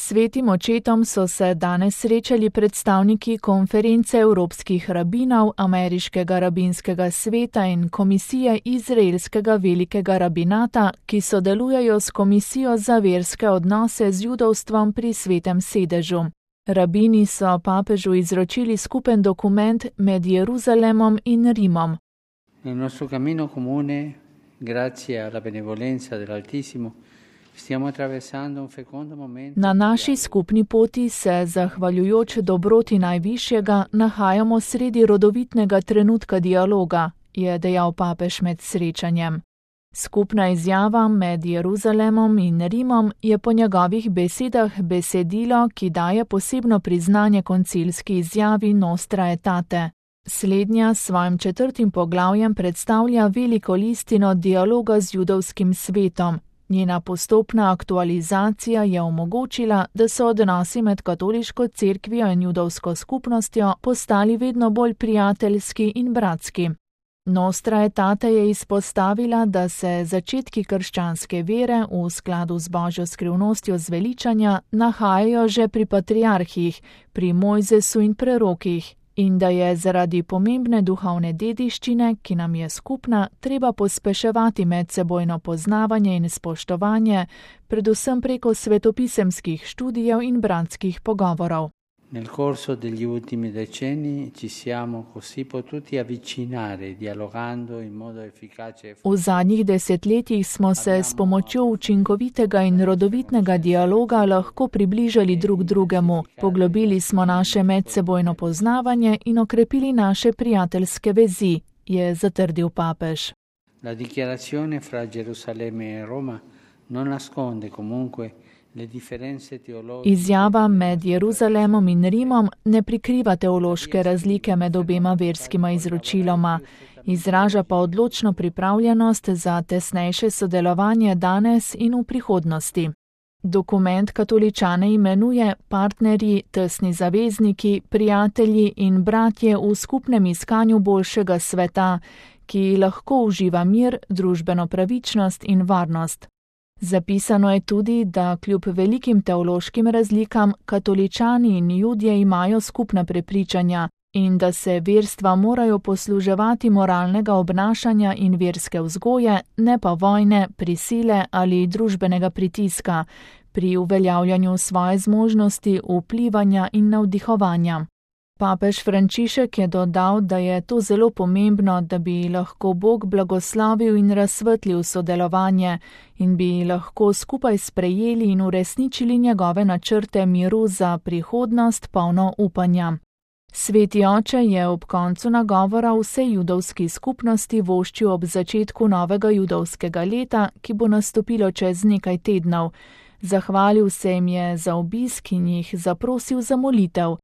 Svetim očetom so se danes srečali predstavniki konference evropskih rabinov, Ameriškega rabinskega sveta in komisije Izraelskega velikega rabinata, ki sodelujejo s Komisijo za verske odnose z judovstvom pri Svetem sedežu. Rabini so papežu izročili skupen dokument med Jeruzalemom in Rimom. Nel nostro cammino comune, grazie alla benevolenza dell'Altissimo, Na naši skupni poti se, zahvaljujoč dobroti Najvišjega, nahajamo sredi rodovitnega trenutka dialoga, je dejal papež med srečanjem. Skupna izjava med Jeruzalemom in Rimom je po njegovih besedah besedilo, ki daje posebno priznanje koncilski izjavi Nostra Aetate. Slednja s svojim 4. poglavjem predstavlja veliko listino dialoga z judovskim svetom. Njena postopna aktualizacija je omogočila, da so odnosi med katoliško cerkvijo in judovsko skupnostjo postali vedno bolj prijateljski in bratski. Nostra Aetate je izpostavila, da se začetki krščanske vere v skladu z Božjo skrivnostjo zveličanja nahajajo že pri patriarhih, pri Mojzesu in prerokih, in da je zaradi pomembne duhovne dediščine, ki nam je skupna, treba pospeševati medsebojno poznavanje in spoštovanje, predvsem preko svetopisemskih študijev in bratskih pogovorov. Nel corso degli ultimi decenni ci siamo così potuti avvicinare dialogando in modo efficace. V zadnjih desetletjih smo se s pomočjo učinkovitega in rodovitnega dialoga lahko približali drug drugemu, poglobili smo naše medsebojno poznavanje in okrepili naše prijateljske vezi, je zatrdil papež. La dichiarazione fra Gerusalemme e Roma non nasconde comunque. Izjava med Jeruzalemom in Rimom ne prikriva teološke razlike med obema verskima izročiloma, izraža pa odločno pripravljenost za tesnejše sodelovanje danes in v prihodnosti. Dokument katoličane imenuje partnerji, tesni zavezniki, prijatelji in bratje v skupnem iskanju boljšega sveta, ki lahko uživa mir, družbeno pravičnost in varnost. Zapisano je tudi, da kljub velikim teološkim razlikam katoličani in Judje imajo skupna prepričanja in da se verstva morajo posluževati moralnega obnašanja in verske vzgoje, ne pa vojne, prisile ali družbenega pritiska pri uveljavljanju svoje zmožnosti vplivanja in navdihovanja. Papež Frančišek je dodal, da je to zelo pomembno, da bi lahko Bog blagoslavil in razsvetlil sodelovanje in bi lahko skupaj sprejeli in uresničili njegove načrte miru za prihodnost polno upanja. Sveti oče je ob koncu nagovora vsej judovski skupnosti voščil ob začetku novega judovskega leta, ki bo nastopilo čez nekaj tednov. Zahvalil se jim je za obisk in jih zaprosil za molitev.